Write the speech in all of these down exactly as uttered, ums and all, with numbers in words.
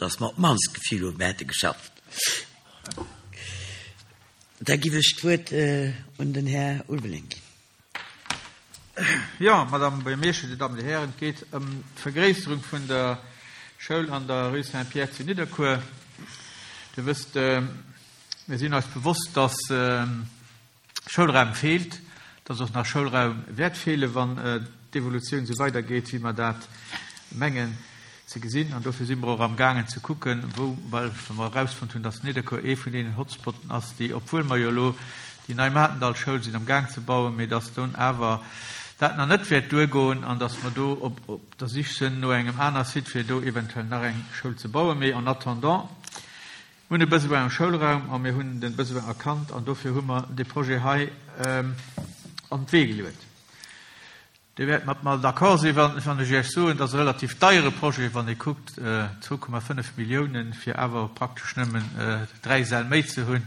dass mer op d'mannst d'Gefill hunn, mer hätte geschafft. Da giff ech d'Wuert un den Här Ulveling ginn. Jo, Madame Buergermeeschter, Dir Dammen, Dir Hären, et geet ëm d'Vergréisserung vun der Schoul an der Rue Saint-Pierre zu Nidderkuer. Dir wësst, mir sinn eis bewosst, dass Schoulraum feelt, dass och nach Schoulraum wäert feelen, wann d'Evolutioun esou weidergeet, wéi mer dat mengen ze gesinn. An dofir si mer och amgaangen ze kucken, wou, well mer erausfonnt hunn, dass Nidderkuer ee vun deenen Hotspotten ass, déi, obwuel mer jo elo déi nei Matendallschoul sinn amgaang ze bauen, mee dass dunn awer dat nach net wäert duergoen an dass mer do op op der Sich sinn no engem aner Site, fir do eventuell nach eng Schoul ze bauen. Mee en attendant, mir hunn e Besoin um Schoulraum a mir hunn de Besoin erkannt an dofir hu mer dee Projet hei an d'Wee geluet. Dir wäert mat mer d'accord sinn, wann ech Iech soen, et ass e relativ deiere Projet, wann ee kuckt, zwou Komma fënnef Milliounen, fir awer praktesch nëmmen dräi Säll méi ze hunn.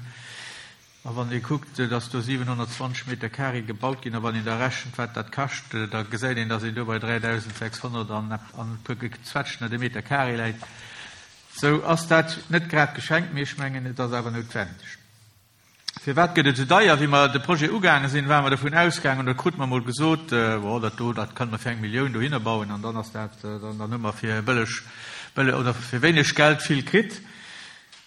A wann ee kuckt, dass do siwenhonnertzwanzeg Meter carré gebaut ginn, a wann een da rechent, wat dat kascht, da gesäit een, dass een do bei dräidausendsechshonnert an e puer Gezwetschten de Meter carré läit. Sou ass dat net grad geschenkt, mee ech mengen, et ass awer noutwendeg. Firwat gëtt et esou deier? Wéi mer de Projet ugaange sinn, ware mer dovun ausgaangen, oder krute mer emol gesot, Bon, dat do, dat kënne mer fir eng Millioun dohinner bauen an dann ass dat, dann hu mer fir bëlleg, bëlleg oder fir wéineg Geld vill kritt.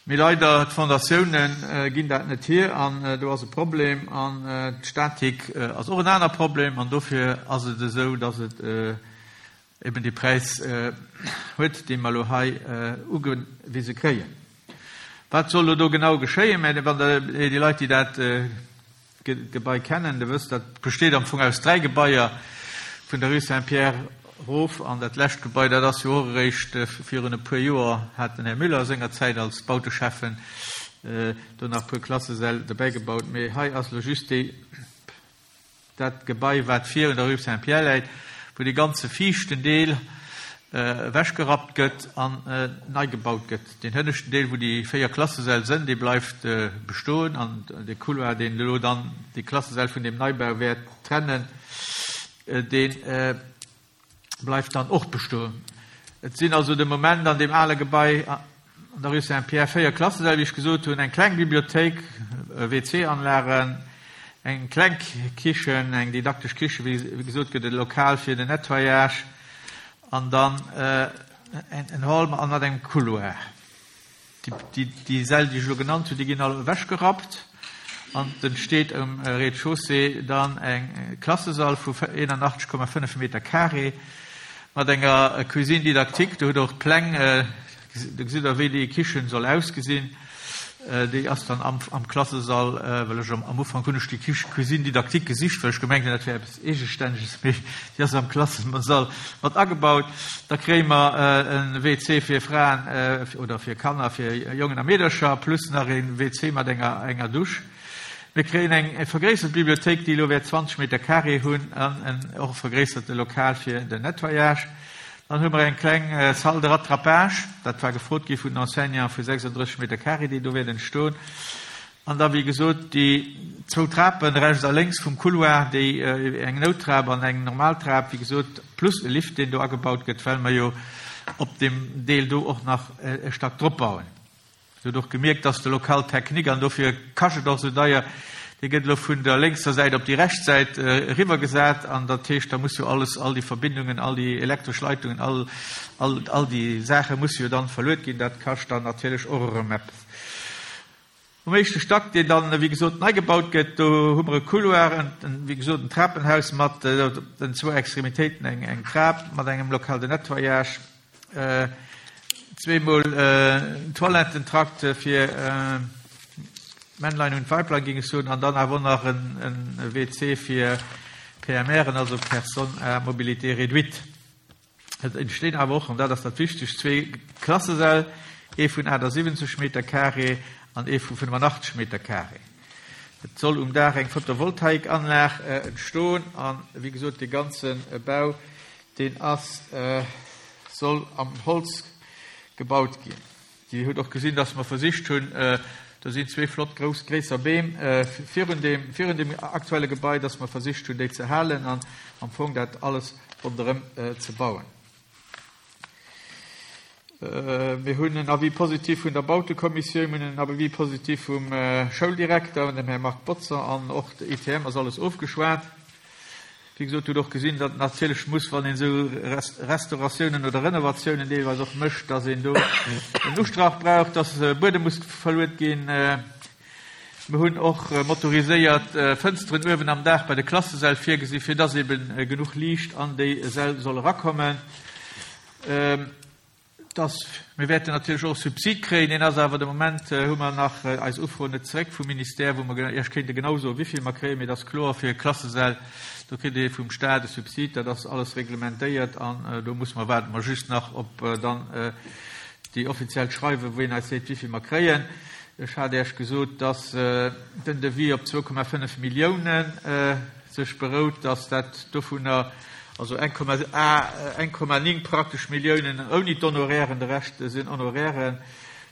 Mee leider, d'Fondatioune ginn dat net hier an do ass e Problem an d'Statik ass och en aner Problem an dofir ass et esou, dass et eben dee Präis huet, dee mer elo hei ugewise kréien. Wat soll elo do genau geschéien? Mä wann Der, déi Leit, déi dat Gebai kennen, Der wësst, dat besteet am Fong aus dräi Gebaier, vun der Rue Saint-Pierre erof an dat lescht Gebai, dat ass jo och eréischt virun e puer Joer, hat den Här Müller sengerzäit als Bauteschäffen do nach e puer Klassesäll dobäigebaut. Mee hei ass elo just déi, dat Gebai, wat vir un der Rue Saint-Pierre läit, wou dee ganze viischten Deel ewechgerappt gëtt an nei gebaut gëtt. Deen hënneschten Deel, wou déi véier Klassesäll sënn, dee bleift bestoen an de Couloir, deen elo dann déi Klassesäll vun deem Neibau wäert trennen, dee bleift dann och bestoen. Et sinn also de Moment an deem ale Gebai an der Rue Saint-Pierre véier Klassesäll, wéi ech gesot hunn, eng kleng Bibliothéik, W C-Anlagen, eng kleng Kichen, eng didaktesch Kichen, wéi gesot gëtt, e Lokal fir den Nettoyage an dann en Hall mat engem Couloir. Déi Säll, déi ech elo genannt hunn, déi ginn all ewechgerappt an et entsteet um Rez-de-chaussée dann eng Klassesall vu eenanachtzeg Komma fënnef Meter carré mat enger Cuisine didactique. Do hutt Der och d'Pläng, do gesitt Der, wéi déi Kichen soll ausgesinn. Déi ass dann am, am Klassesall, well ech am, am Ufank hunn ech déi Kich, Cuisine didactique gesicht, well ech gemengt hunn, dat wär eppes Eegestännege, mee déi ass am Klassesall mat agebaut. Da kréie mer e W C fir Fraen oder fir Kanner, fir Jongen a Meedercher, plus nach e W C mat enger, enger Dusch. Mir kréien eng vergréissert Bibliothéik, déi elo wäert zwanzeg Meter carré hunn, an en och vergréisserte Lokal fir den Nettoyage. Dann hu mer eng kleng Salle de rattrapage, dat war gefrot gi vun den Enseignanten, vu sechsunddrësseg Meter carré, déi do wäert entstoen. An da, wéi gesot, déi zwou Trapen rechts a lénks vum Couloir, déi eng Nouttrap an eng normal Trap, wéi gesot, plus e Lift, deen do agebaut gëtt, well mer jo op deem Deel do och nach e Stack drop bauen. Dir hutt och gemierkt, dass de Local technique, an dofir kascht et och esou deier, dee gëtt elo vun der lénkser Säit op déi rechts Säit eriwwergesat. An dat heescht, da muss jo alles, all déi Verbindungen, all déi elektresch Leitungen, all, all, all déi Saache musse jo dann verluet ginn. Dat kascht dann natierlech och erëm eppes. Um éischte Stack, deen dann, wéi gesot, nei gebaut gëtt, do hu mer e Couloir, en, wéi gesot, en Trapenhaus mat den zwou Extremitéiten, eng, eng Trap mat engem Local de nettoyage, zweemol Toilettentrakt fir Männlein und Weiblein, géing ech soen, an dann awer och nach en, en W C fir P M Ren, also Personnes à mobilité réduite. Et entstinn awer och, an dat ass dat Wichtegst, zwee Klassesäll, ee vun achtasiwwenzeg Meter carré an ee vu fënnefanachteg Meter carré. Et soll um Daach eng Photovoltaikanlag entstoen an, wéi gesot, dee ganze Bau, deen ass, soll am Holz gebaut ginn. Dir hutt och gesinn, dass mer versicht hunn, do sinn zwee flott grouss gréisser Beem virun deem, virun deem aktuelle Gebai, dass mer versicht hunn, déi ze halen an am Fong dat alles ronderëm ze bauen. Mir hunn en Avis positif vun der Bautekommissioun, mir hunn en Avis positif vum Schouldirekter, dem Här Marc Botzer, an och de I T M ass alles ofgeschwat. Wéi gesot, hutt och gesinn, datt natierlech muss, wann een esou Restauratiounen oder Renovatiounen deelweis och mécht, datt een do en Ustrach brauch, datt Buedem muss verluet ginn. Mir hunn och motoriséiert Fënsteren uewen am Daach bei de Klassesäll virgesinn, fir datt eben genuch Liicht an déi Säll soll erakommen. Dass mir wäerten natierlech och Subsid kréien, deen ass awer de Moment hu mer nach eis Ufro net zeréck vum Ministère, wou mer Iech kéinte genau soen, wéi vill mer kréien, mee dat ass kloer fir Klassesäll, do kritt ee vum Staat e Subsid, dat ass alles reglementéiert an do muss mer waarde mer just nach op dann déi offiziell Schreiwen, wou een eis seet, wéi vill mer kréien. Ech hat Iech gesot, dass den Devis op zwou Komma fënnef Milliounen sech berout, dass dat dovunner also eng Komma néng praktesch Milliounen ouni d'Honorairen, de Rescht sinn Honorairen,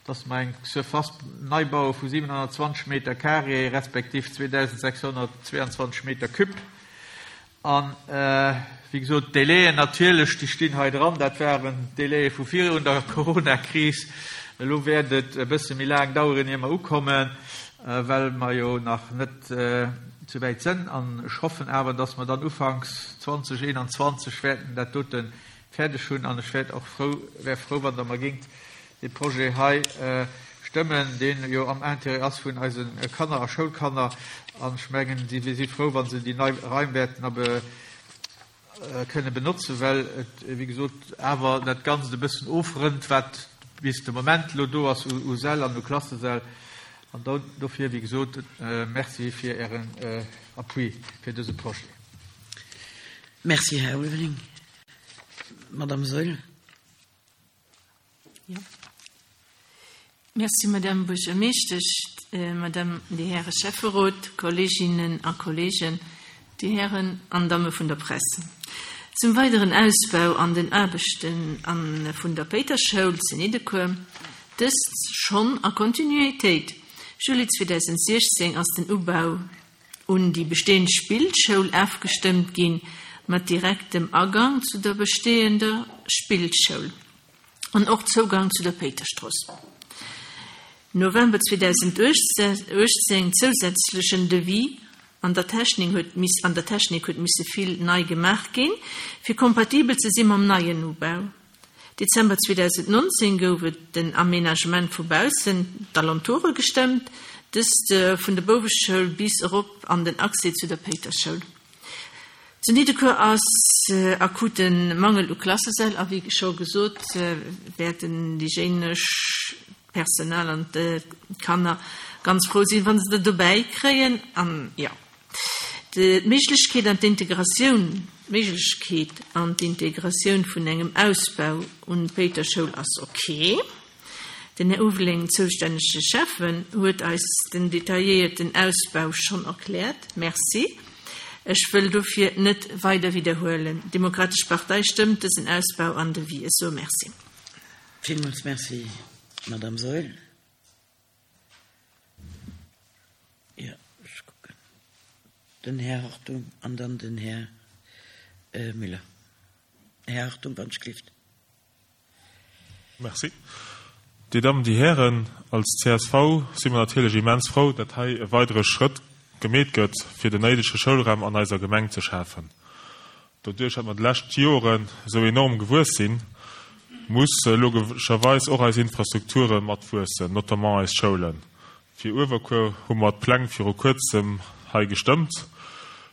dass mer eng Surface neibaue vu siwenhonnertzwanzeg Meter carré respektiv zweedausendsechshonnertzwéianzwanzeg Meter cube. An wéi gesot, d'Délaien natierlech, déi stinn hei dran, dat waren Délaie vu virun der Corona-Kris. Elo wäert et e bësse méi laang daueren, ier mer ukommen, well mer jo nach net sou wäit sinn. An ech hoffen awer, dass mer dann ufanks zweedausendeenanzwanzeg wäerten dat dote fäerdeg hunn. An ech wäert och frou, wär frou, wann Der mer géingt de Projet hei stëmmen, deen jo am Intérêt ass vun eise Kanner a Schoulkanner. An ech mengen, si si frou, wa se déi nei Raim wäerten awer kënne benotzen, well et, wéi gesot, awer dat Ganzt e bëssen ofrënnt, wat bis de Moment lo do ass u Säll an u Klassesäll. An dofir, wéi gesot, Merci fir Ären Appui fir dëse Projet. Merci, Här Ulveling. Madame Saeul. Ja. Merci, Madame Buergermeeschtesch, äh, Madame, déi Häre Schäfferot, Kolleginnen a Kollegen, déi Hären an Damme vun der Press. Zum weideren Ausbau an den Aarbechten an vun der Péiterschoul zu Nidderkuer, dëst schonn a Kontinuitéit. Juli zweedausendsechzéng ass den Ubau un déi bestehend Spillschoul ofgestëmmt ginn, mat direktem Agang zu der bestehender Spillschoul an och Zougang zu der Péiterstrooss. November zweedausenduechtzéng zousätzlechen Devis, an der Technik huet miss, an der Technik huet misse vill nei gemaach ginn, fir kompatibel ze si mam neien Ubau. Dezember zweedausendnonzéng gouf et den Aménagement vu baussen, d'Alentoure gestëmmt, dëst äh, vun der Bouweschoul bis erop an den Accès zu der Péiterschoul. Zu Nidderkuer ass äh, akuten Mangel u Klassesäll, a wéi scho gesot äh, wäerten déi hygieenesch Personal an d'Kanner ganz frou sinn, wann se dat dobäi kréien an ja. D'Méiglechkeet an d'Integratioun Méiglechkeet an d'Integratioun vun engem Ausbau un Péiterschoul ass okay. Den Här Ulveling, zoustännege Schäffen, huet eis den detailléierten Ausbau schonn erkläert. Merci. Ech wëll dofir net weider widderhuelen. Demokratesch Partei stëmmt dësen Ausbau an Devis. Sou merci. Villmools merci, Madame Saeul. Ja, ech kucken. Den Här Hartung an dann den Här äh, Müller. Här Hartung, wann Schrift. Merci. Déi Dammen, déi Hären, als C S V si mer natierlech immens frou, datt hei e weidere Schrëtt gemeet gëtt, fir den néidege Schoulraum an eiser Gemeng ze schafen. Doduerch, datt mer déi lescht Joren sou enorm gewuess sinn, muss logescherweis och eis Infrastrukture mat wuessen, notamment eis Schoulen. Fir Uewerkuer hu mer d'Pläng viru kuerzem hei gestëmmt.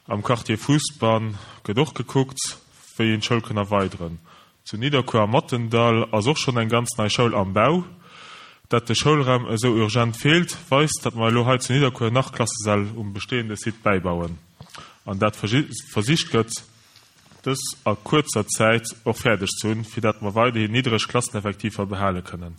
Am Quartier Fousbann gëtt och gekuckt, wéi een d'Schoul kann erweideren. Zu Nidderkuer am Mattendall ass och schonn eng ganz nei Schoul am Bau. Dat de Schoulraum esou urgent feelt, weist, datt mer elo hei zu Nidderkuer nach Klassesäll um bestehende Site bäibauen. An dat versicht gëtt, dës a kuerzer Zäit och fäerdeg ze hunn, fir dat mer weiderhin niddreg Klasseneffektiver behale kënnen.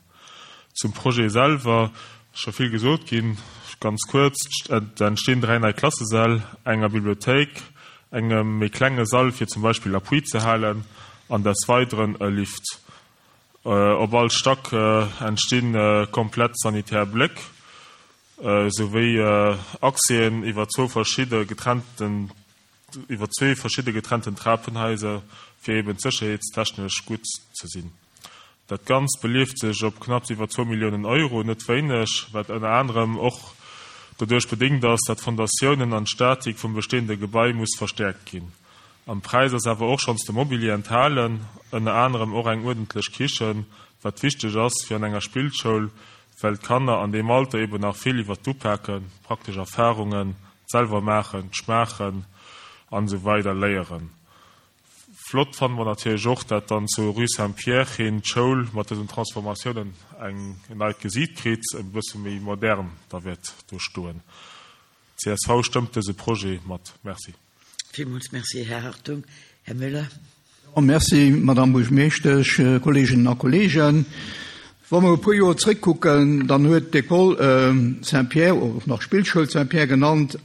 Zum Projet selwer scho vill gesot ginn, ganz kuerz, et entstinn dräi nei Klassesäll, enger Bibliothéik, engem méi klenge Sall fir zum Beispill Appui ze halen an des Weideren e Lift. Op all Stack entstinn komplett sanitär Bléck, souwéi Accèsen iwwer zwou verschidde getrennten iwwer zwee verschidde getrennten Trapenhaiser, fir eben sécherheetstechnesch gutt ze sinn. Dat Ganzt beleeft sech op knapps iwwer zwou Milliounen Euro, net wéineg, wat ënner anerem och doduerch bedéngt ass, dat d'Fondatiounen an d'Statik vum bestehende Gebai muss verstäerkt ginn. Am Präis ass awer och schonns de Mobilier enthalen, ënner anerem och eng uerdentlech Kichen, wat wichteg ass fir an enger Spillschoul, well d'Kanner an deem Alter eben nach vill iwwer d'Upaken, praktesch Erfarungen, d'selwer maachen, d'Schmaachen an esou weider léieren. Flott fanne mer natierlech och, dat dann zur Rue Saint-Pierre hin d'Schoul mat dësen Transformatiounen eng en neit Gesiit kritt, e bësse méi modern da wäert do stoen. Csv stëmmt dëse Projet mat. Merci. Villmools Merci, Här Hartung. Här Müller. Merci, Madame Buergermeeschtesch, Kolleeginnen a Kolleegen. Wa mer e puer Joer zréckkucken, dann huet d'École Saint-Pierre, och nach Spillschoul Saint-Pierre genannt,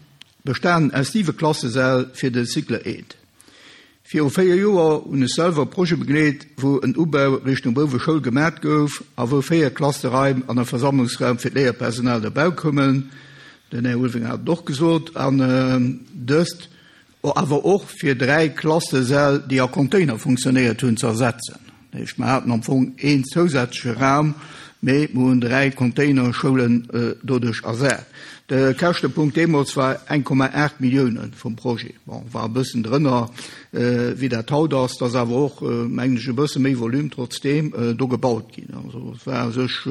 bestanen aus siwe Klassesäll fir de Cycle eent. Viru véier Joer hunn ech selwer e Projet begleet, wou en Ubau Richtung Bouweschoul gemat gouf a wou véier Klasseraim an e Versammlungsraum fir d'Léierpersonal derbäi koumen. Den Här Ulveling hat et och gesot. An dëst awer och fir dräi Klassesäll, déi a Container funktionéiert hunn, ze ersetzen. Dat heescht, mer haten am Fong een zousätzleche Raum, mee mer hunn dräi Containerschoulen doduerch ersat. De Käschtepunkt deemools war eng Komma aacht Millioune vum Projet. Bon, war e bëssen drënner, wéi dat haut ass. Et ass awer och, mengen ech, e bësse méi Volume trotzdeem do gebaut ginn. Also et war u sech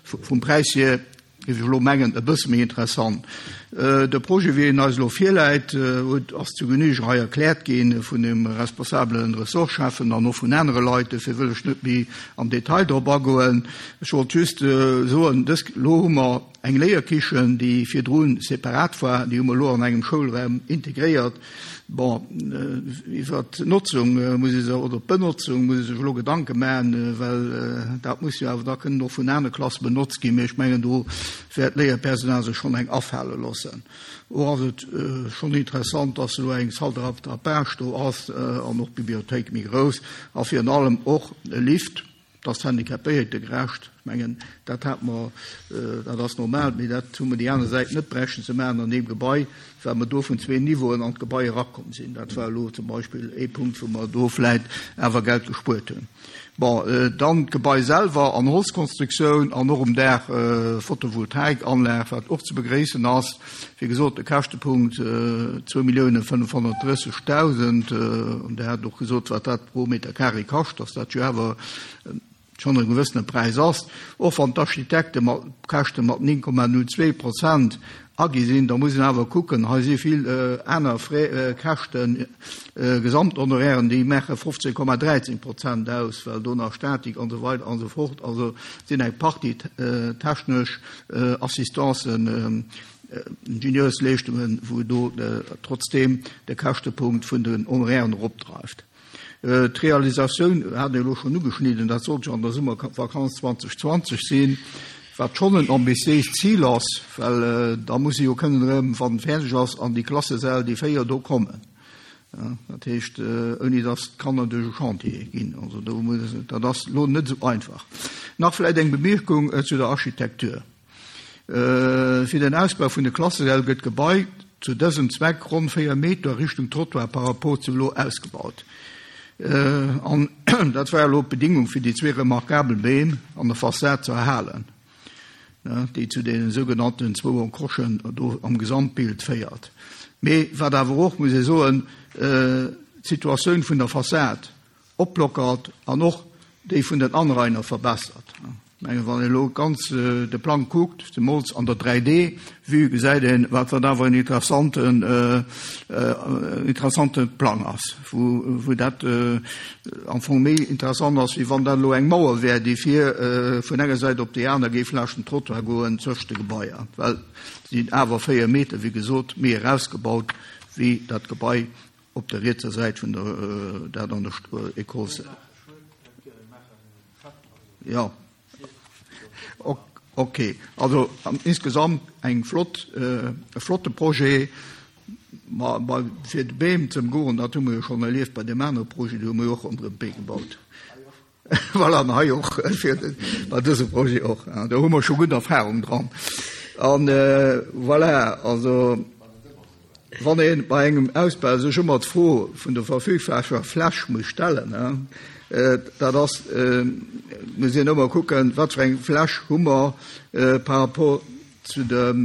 vum Präis hier, géif ech elo mengen, e bësse méi interessant. De Projet, wéi en eis elo virläit, huet, ass zu Genüge hei erkläert gi vun dem responsabelen Ressortschäffen an och vun anere Leit. Dofir wëll ech net méi am Detail drop agoen. Ech wollt just soen, dës, elo hu mer eng Léierkichen, déi virdru separat war, déi hu mer elo an engem Schoulraum integréiert. Bon, iwwer d'Notzung muss ee sech, oder d'Benotzung muss ee sech elo Gedanke maachen, well dat muss jo awer da kënnen och vun anere Klasse benotzt ginn. Mee ech mengen, do wäert d'Léierpersonal sech schonn eng afale loossen. Och ass et schonn interessant, dass elo eng Salle de rattrapage do ass an och d'Bibliothéik méi grouss a virun allem och e Lift. Dat ass handicapéiertegerecht. Ech mengen, dat hat mer, dat ass normal, mee dat hu mer déi aner Säit net bräichten ze maachen an deem Gebai, well mer do vun zwee Niveauen an d'Gebai erakomm sinn. Dat war elo zum Beispill ee Punkt, wou mer do vläicht awer Geld gespuert hunn. Bon, dann d'Gebai selwer an Holzkonstruktioun an och um Daach Photovoltaikanlag, wat och ze begréissen ass. Wéi gesot, de Käschtepunkt zwou Milliounen fënnefhonnertdrëssegdausend, an Der hat och gesot, wat dat pro Meter carré kascht, dass dat jo awer schonn e gewëssene Präis ass. Och wann d'Architekte mat Käschte mat néng Komma null zwee Prozent agi sinn, da muss een awer kucken, hei si vill aner Frais, Käschten, Gesamthonorairen, déi maache fofzéng Komma dräizéng Prozent aus, well do nach Statik an esou weider an esou fort, also sinn eng Partie technesch Assistancen, Ingenieursleeschtungen, wou do trotzdeem de Käschtepunkt vun den Honorairen eropdreift. D'Realisatioun hat een elo schonn ugeschnidden, dat sollt jo an der Summervakanz zweitausendzwanzeg sinn, wat schonn en ambitiéist Zil ass, well da muss ee jo kënnen erëm, wann et fäerdeg ass, an déi Klassesäll, déi véier do kommen. Dat heescht, ouni datt d'Kanner duerch e Chantier ginn. Also do muss, dat ass elo net esou einfach. Nach vläicht eng Bemierkung zu der Architektur. Fir den Ausbau vun de Klassesäll gëtt d'Gebai zu dësem Zweck ronn véier Meter Richtung Trottoir par rapport zu elo ausgebaut. An dat war elo d'Bedingung, fir déi zwee remarkabel Beem an der Fassad ze erhalen, déi zu deene sougenannten zwou Encochen do am Gesamtbild féiert. Mee wat awer och, muss ee soen, d'Situatioun vun der Fassad oplockert an och déi vun den Anrainer verbessert. Ech mengen, wann een elo ganz de Plang kuckt, zemools an der dräi D-Vue, gesäit een, wat dat awer en interessanten, interessante Plang ass, wou, wou dat am Fong méi interessant ass, wéi wann dat elo eng Mauer wär, déi vir vun enger Säit op déi aner géif laanscht den Trottoir goen zwëscht de Gebaier, well se sinn awer véier Meter, wéi gesot, méi erausgebaut wéi dat Gebai op der rietser Säit vun der, dat an der École. Jo. Ok, also insgesamt eng flott, e flotte Projet. Ma fir de Beem ze ëmgoen, dat hu mer jo schonn erlieft bei deem anere Projet, do hu mer jo och ronderëm d'Bee gebaut. Voilà, an hei och, fir bei dësem Projet och. Do hu mer scho gutt Erfahrung dran. An voilà, also wann ee bei engem Ausbau sech ëmmer d'Fro vun der verfügbarer Fläch muss stellen, Dat ass, muss een ëmmer kucken, wat fir eng Fläch hu mer par rapport zu dem,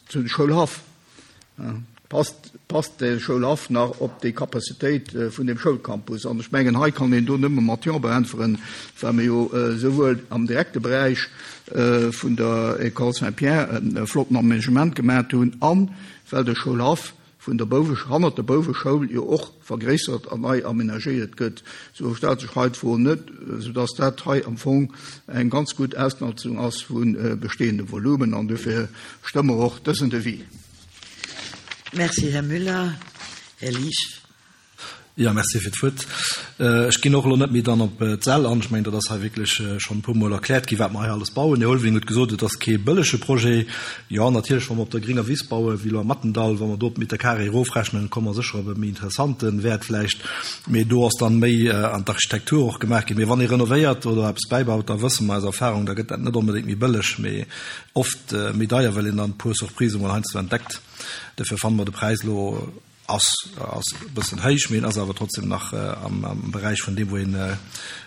zu dem Schoulhaff. Passt, passt de Schoulhaff nach op déi Capacitéit vun dem Schoulcampus? An ech mengen, hei kann een do nëmme mat Jo beäntweren, well mir jo souwuel am direkte Beräich vun der École Saint-Pierre e flotten Aménagement gemaat hunn an well de Schoulhaff vun der Bouwe, hannert der Bouweschoul jo och vergréissert an nei aménagéiert gëtt. Sou stellt sech hei d'Fro net, soudass dat hei am Fong eng ganz gutt Ausnotzung ass vu bestehendem Volumen an dofir stëmme mer och dësen Devis. Merci, Här Müller. Här Liesch. Jo, merci fir d'Wuert. Ech ginn och elo net méi dann op d'Säll an. Ech mengen, dat ass hei wierklech schonn e puermol erkläert ginn, wat mer hei alles bauen. Den Här Ulveling huet gesot, et ass kee bëllege Projet. Jo, natierlech, wa mer op der gringer Wiss bauen, wéi elo am Mattendall, wa mer do d'Meter carré erofrechnen, komme mer sécher op e méi interessante Wäert vläicht. Mee do ass dann méi an d'Architektur och gemaach ginn. Mee wann ee renovéiert oder eppes bäibaut, da wësse mer aus Erfahrung, da gëtt dat net onbedéngt méi bëlleg, mee oft méi deier, well een dann e puer Surprisë mol heiansdo entdeckt. Dofir fanne mer de Präis elo ass ass e bëssen héich, mee en ass awer trotzdem nach am am Beräich vun deem, wou een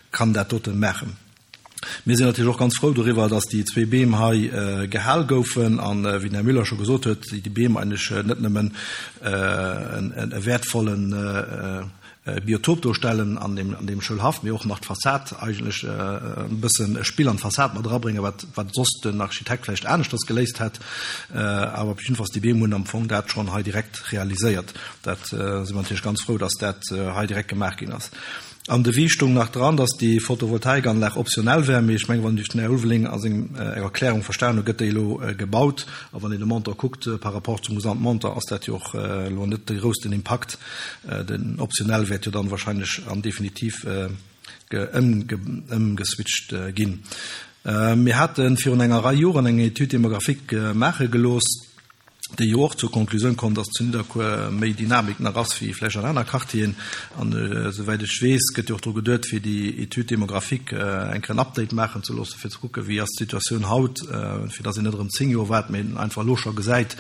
kann dat doten maachen. Mir sinn natierlech och ganz frou doriwwer, dass déi zwee Beem hei gehal goufen an, wéi den Här Müller scho gesot huet, déi Beem eigentlech net nëmmen e wäertvollen Biotop do stellen an deem, an deem Schoulhaff, mee och nach d'Fassad eigentlech e bëssen e Spill an d'Fassad mat erabréngen, wat, wat soss den Architekt vläicht aneschters geléist hätt. Awer op jiddefalls déi Beem hunn am Fong dat schonn hei direkt realiséiert. Dat si mer natierlech ganz frou, dass dat hei direkt gemaach ginn ass. Am Devis stoung nach dran, dass déi Photovoltaikanlag optionell wär, mee ech mengen, wann ech den Här Ulveling a sengem Erklärung verstan hunn, gëtt déi elo gebaut. A wann een de Montant kuckt par rapport zum Gesamtmontant, ass dat jo och elo net de groussten Impakt. Den optionell wäert jo dann wahrscheinlech an definitiv ëmgeswitcht ginn. Mir hate virun enger Rei Joren eng Étude démographique maache gelooss, déi jo och zur Konklusioun komm, dass zu Nidderkuer méi Dynamik nach ass wéi vläicht an aner Quartieren. An esouwäit ech weess, gëtt jo och dru geduet, fir déi Étude démographique eng Kéier en Update maachen ze loossen, fir ze kucken, wéi ass d'Situatioun haut, fir dass een net erëm zéng Joer waart, mee einfach elo scho gesäit,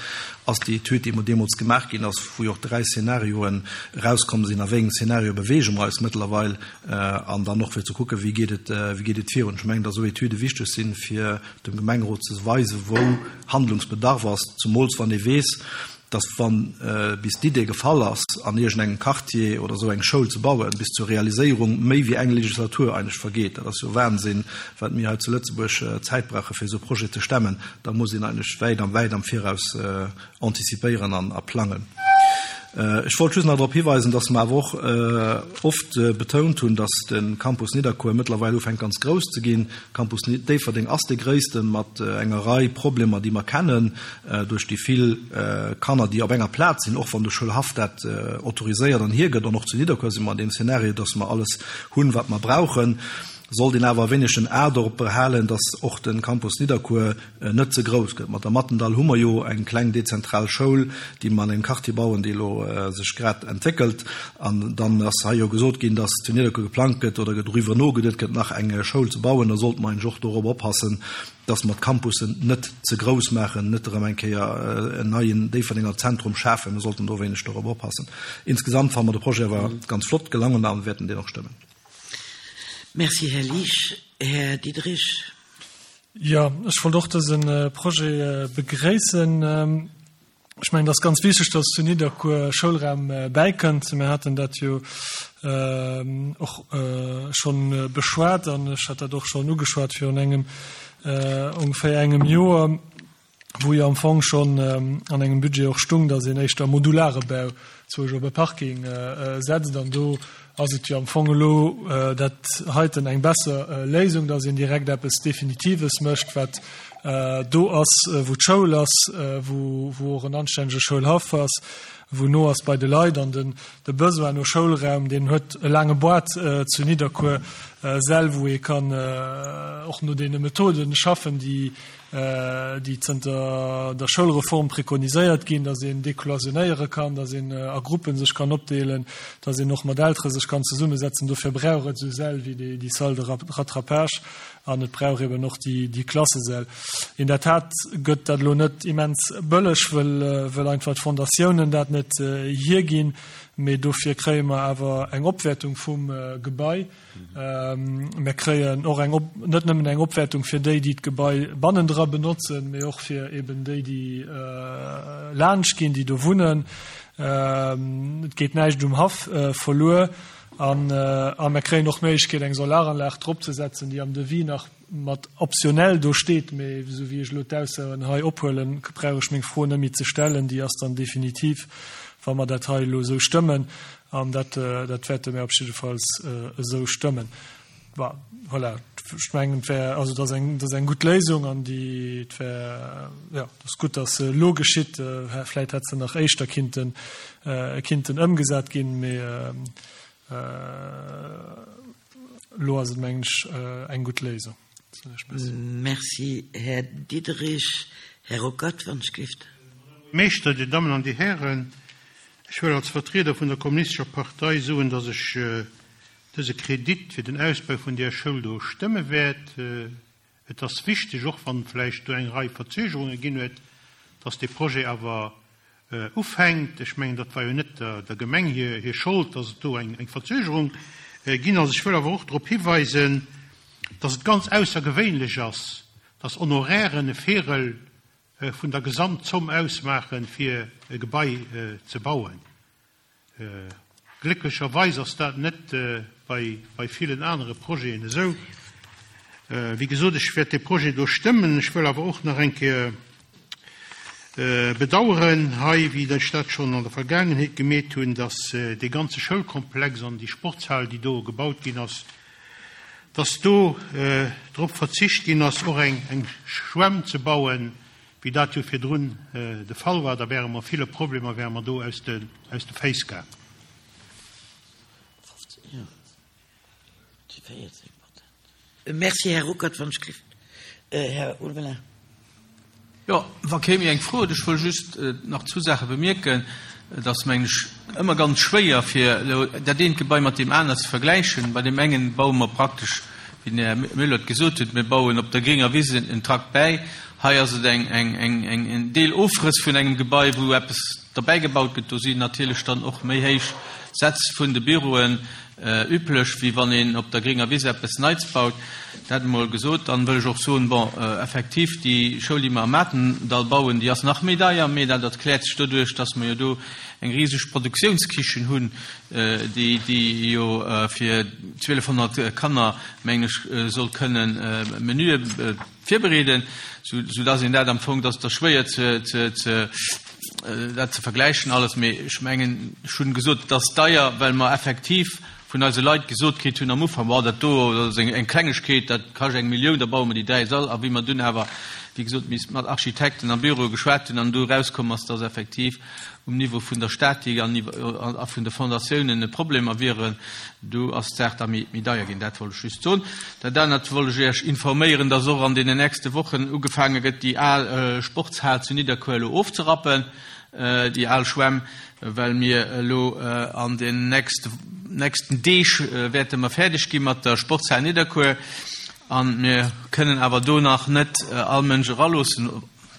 ass déi Etüd, déi emol deemools gemaach ginn ass, wou jo och dräi Szenarioen erauskomm sinn, a wéi engem Szenario beweege mer eis mëttlerweil, an dann och fir ze kucken, wéi geet et, wéi geet et virun. Ech mengen, dass esou Etüde wichteg sinn, fir dem Gemengerot ze weisen, wou Handlungsbedarf ass, zemools wann ee weess, dass wa bis d'Idee gefall ass, an iergendengem Quartier oder esou eng Schoul ze bauen, bis zur Realiséierung méi wéi eng Legislatur eigentlech vergeet. Dat ass jo Wahnsinn, wat mir hei zu Lëtzebuerg Zäit brauche fir esou Projete ze stemmen. Da muss een eigentlech wäit am wäit am Viraus antizipéieren an a plangen. Ech wollt just nach drop hiweisen, dass mer awer och oft betount hunn, dass de Campus Nidderkuer mëttlerweil ufänkt ganz grouss ze ginn. Campus Déifferdeng ass dee gréissten, mat enger Rei Problemer, déi mer kennen duerch déi vill Kanner, déi op enger Plaz sinn, och wann de Schoulhaff dat autoriséiert an hiergëtt. An och zu Nidderkuer si mer an deem Szenario, dass mer alles hunn, wat mer brauchen. Sollt een awer e wéineg en A dorop behalen, dass och de Campus Nidderkuer net ze grouss gëtt. Mat der Mattendall hu mer jo eng kleng dezentral Schoul, déi mer an engem Quartier bauen, dee elo sech grad entwéckelt. An dann ass hei jo gesot ginn, dass zu Nidderkuer geplangt gëtt oder doriwwer nogeduet gëtt, nach eng Schoul ze bauen. Da sollte mer eigentlech och dorop oppassen, dass mer d'Campussen net ze grouss maachen, net erëm eng Kéier en neien Déifferdenger Zentrum schafen. Mir sollten do e wéineg dorop oppassen. Insgesamt fanne mer de Projet awer ganz flott gelangen a wäerten deen och stëmmen. Merci, Här Liesch. Här Diderich. Jo, ech wollt och dëse Projet begréissen. Ech mengen, et ass ganz wichteg, dass zu Nidderkuer Schoulraum bäikënnt. Mir haten dat jo och schonn beschwat an ech hat dat och schonn ugeschwat virun engem, ongeféier engem Joer, wou jo am Fong schonn an engem Budget och stung, dass een éischter modulare Bau zwousch op e Parking setzt. An do ass et jo am Fong elo dat heiten eng besser Léisung, dass een direkt eppes Definitives mécht, wat do ass, wou d'Schoul ass, wou och en anstännege Schoulhaff ass, wou no ass bei de Leit. An den de Besoin no Schoulraum, deen huet e laange Boart zu Nidderkuer, Säll, wou ee kann och no deene Methoden schaffen, déi déi zënter der Schoulreform prekoniséiert ginn, dass een decloisonnéiere kann, dass een a Gruppen sech kann opdeelen, dass een och mat Eltere sech kann zesummesetzen. Dofir brauch et esou Säll wéi déi Salle de rattrapage. an et brauch eben och déi, déi Klassesäll. In der Tat gëtt dat elo net immens bëlleg, well, well einfach d'Fondatiounen dat net hierginn, mee dofir kréie mer awer eng Opwäertung vum Gebai. Mir kréien och eng Op, net nëmmen eng Opwäertung fir déi, déi d'Gebai bannendra benotzen, mee och fir eben déi, déi laanscht ginn, déi do wunnen. Et geet näischt um Haff verluer an a mir kréien och d'Méiglechkeet, eng Solaranlag drop ze setzen, déi am Devis nach mat optionell do steet, mee esou wéi ech elo d'Aussoen hei ophuelen, brauch ech meng Fro net méi ze stellen, déi ass dann definitiv, wa mer dat hei elo esou stëmmen. An dat, dat wäerte mir op jiddefalls esou stëmmen. Voilà, ech mengen, et wär, also dat ass eng, dat ass eng gutt Léisung an déi, et wär, jo, et ass gutt, datt se elo geschitt. Vläicht hätt se nach éischter kinnten, kinnten ëmgesat ginn, mee elo ass et, mengen ech, eng gutt Léisung. Merci, Här Diderich. Här Ruckert, wann ech géif. Meeschter, Dir Dammen an Dir Hären, ech wëll als Vertrieder vun der Kommunistescher Partei soen, dass ech dëse Kredit fir den Ausbau vun där Schoul do stëmme wäert. Et ass wichteg, och wann vläicht do eng Rei Verzögerunge ginn huet, dass dee Projet awer ufänkt. Ech mengen, dat war jo net der Gemeng hir Schold, dass et do eng Verzögerung ginn ass. Ech wëll awer och drop hiweisen, dass et ganz aussergewéinlech ass, dass Honorairen e Véierel vun der Gesamtzomm ausmaachen, fir e Gebai ze bauen. Glécklecherweis ass dat net bei villen anere Projeten esou. Wéi gesot, ech wäert dee Projet do stëmmen. Ech wëll awer och nach eng Kéier bedauern hei, wéi ech dat schonn an der Vergaangenheet gemeet hunn, dass dee ganze Schoulkomplex an déi Sportshal, déi do gebaut ginn ass, dass do drop verzicht ginn ass, och eng Schwämm ze bauen, wéi dat jo virdrun de Fall war. Da wäre mer ville Problemer wäre mer do aus de Féiss gaang. Merci, Här Ruckert, wann ech gelift. Här Ulveling. Jo, wa kee méi eng Fro huet, ech wëll just nach zwou Saache bemierken. Et ass, mengen ech, ëmmer ganz schwéier, fir elo dat eent Gebai mat deem anert ze vergläichen. Bei deem engen baue mer praktesch, wéi den Här Müller et gesot huet, mir bauen op der grénger Wiss en Trakt bäi. Hei ass et eng, eng, eng, eng, en Deelofrëss vun engem Gebai, wou eppes derbäigebaut gëtt. Do sinn natierlech dann och méi héich Sätz vun de Büroen üblech, wéi wann een op der grénger Wiss eppes Neits baut. Dat emol gesot. Dann wëll ech och soen, bon, effektiv, déi Schoul, déi mer am Matendall bauen, déi ass nach méi deier, mee dat erkläert sech doduerch, dass mer jo do eng riseg Produktiounskichen hunn, déi, déi jo fir zwielefhonnert Kanner, mengen ech, soll kënnen Menüe virbereeden, sou, soudass een dat am Fong, dass et da schwéier ze, ze, ze, dat ze vergläichen alles, mee ech mengen, ech hunn gesot, et ass deier, well mer effektiv vun eise Leit gesot kritt hunn am Ufank, Boah, dat do ass eng Klengegkeet, dat kascht eng Millioun, da baue mer déi dräi Sall. A wéi mer dunn awer, wéi gesot, mat Architekten a Büroe geschwat hunn an do erauskomm ass, dass effektiv um Niveau vun der Statik an a vun de Fondatiounen Problemer wieren, do ass d'Saach da méi deier ginn. Dat wollt ech just soen. Dat anert wollt ech Iech informéieren, dass och an deenen nächste Wochen ugefaange gëtt, déi al Sportshal zu Nidderkuer elo ofzerappen, déi al Schwämm, well mir elo an den nächsten Deeg wäerte mer fäerdeg gi mat der Sportshal Nidderkuer a mir kënnen awer do nach net all Mënsch eraloossen,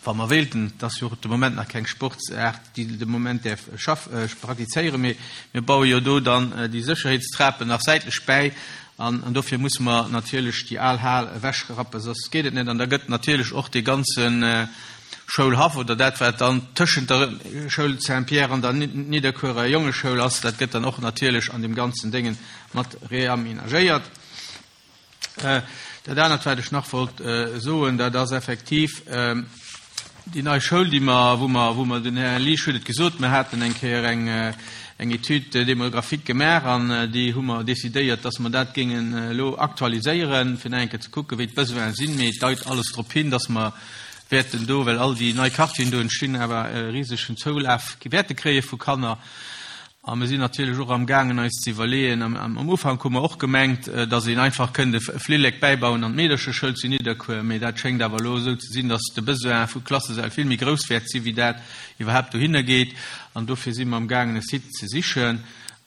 wa mer wéilten. Et ass jo och de Moment nach keng Sportsaart, déi de Moment däerf praktizéieren, mee mir baue jo do dann déi Sécherheetstrapen nach säitlech bäi an dofir musse mer natierlech déi al Hal ewechrappen, soss geet et net. An da gëtt natierlech och dee ganze Schoulhaff oder dat, wat dann tëschent der Schoul Saint-Pierre an der Nidderkuerer Jongeschoul ass, dat gëtt dann och natierlech an deem ganzen Déngen mat reaménagéiert. Dat anert, wat ech nach wollt soen, dat ass effektiv déi nei Schoul, déi mer, wou mer, wou mer, den Här Liesch huet et gesot, mer haten eng Kéier eng, eng Étude démographique gemaach an déi hu mer décidéiert, dass mer dat géingen elo aktualiséieren, fir nach eng Kéier ze kucken, wéi d'Besoine sinn. Mee et deit alles drop hin, dass mer wäerten do, well all déi nei Quartieren do entstinn, awer e risegen Zoulaf wäerte kréie vu Kanner. A mir sinn natierlech och amgaangen eis ze iwwerleeën, am Ufank hu mer och gemengt, datt een einfach kënnt e Flillek bäibauen an d'Meedercheschoul zu Nidderkuer, mee dat schéngt awer elo esou ze sinn, datt de Besoin vu Klassesäll vill méi grouss wäert sinn, wéi dat iwwerhaapt dohinner geet. An dofir si mer amgaangen e Site ze sichen.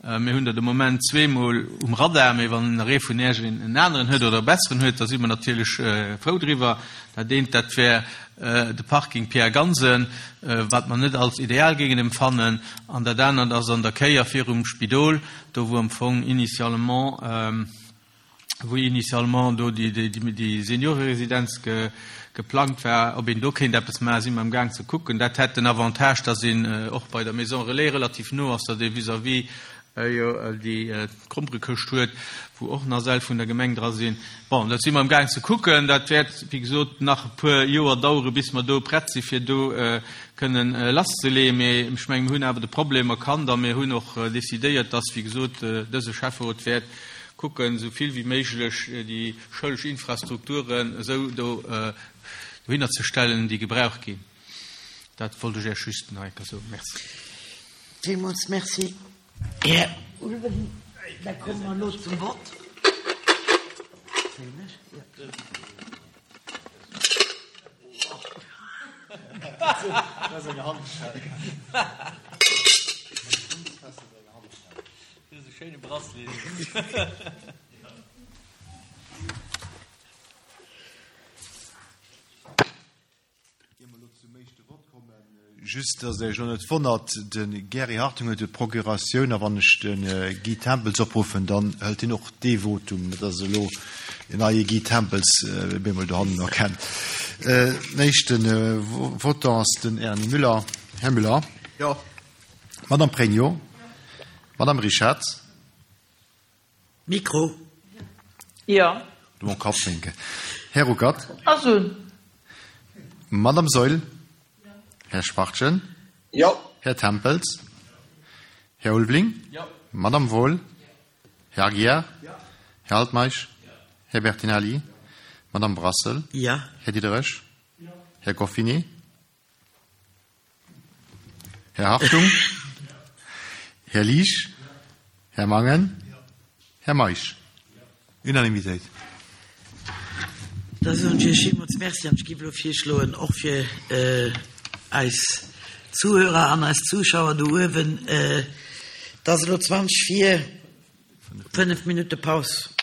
Mir hunn der de Moment zweemol um Radar, mee wann nach ee vun Iech en aneren huet oder e besseren huet, da si mer natierlech frou driwwer. Dat eent, dat wär de Parking Pierre Gansen, wat mer net als ideal géingen empfannen, an dat anert ass an der Kéier virum Spidol, do wou am Fong initialement, wou initialement do déi Senioreresidenz geplangt war, ob een do kéint eppes maachen, si mer am Gaang ze kucken. Dat hätt den Avantage, datt een och bei der Maison Relais relativ no ass, datt ee vis-à-vis jo déi Gromperekëscht huet, wou och nach Säll vun der Gemeng dra sinn. Bon, dat si mer am Gaang ze kucken. Dat wäert, wéi gesot, nach e puer Joer dauere bis mer do prett si fir do kënnen lasszeleeën. Mee ech mengen, mir hunn awer de Problem erkannt a mir hunn och decidéiert, datt, wéi gesot, dëse Schäfferot wäert kucken, esou vill wéi méiglech déi schoulesch Infrastrukturen esou do dohinner ze stellen, déi gebraucht ginn. Dat wollt ech Iech just nach eng Kéier soen. Merci. Villmools Merci, Här Ulveling. Da komme mer elo zum Vott. Ier mer elo zum éischte Vott kommen, just dass Der Iech elo net wonnert, De Gary Hartung huet jo d'Procuratioun, a wann ech de Guy Tempels opruffen, dann hëlt hien och dee Votum, net dass elo en neie Guy Tempels op eemol dohannen erkennt. Den éischte Votant ass den Erny Müller. Här Müller. Jo. Madame Pregno. Madame Rischette. Mikro. Jo. Du mon Kapp wénken. Här Ruckert. Ass un. Madame Saeul. Här Schwachtgen. Jo. Här Tempels. Här Ulveling. Jo. Madame Wohl. Här Aguiar. Här Altmeisch. Här Bertinelli. Madame Brassel. Jo. Här Diderich. Här Goffinet. Här Hartung. Här Liesch. Här Mangen. Här Meisch. Unanimitéit. Da soen ech Iech villmools Merci an ech géif elo virschloen, och fir eis Zuhörer an eis Zuschauer do uewen, et ass elo zwanzeg vir, fënnef Minutte Paus.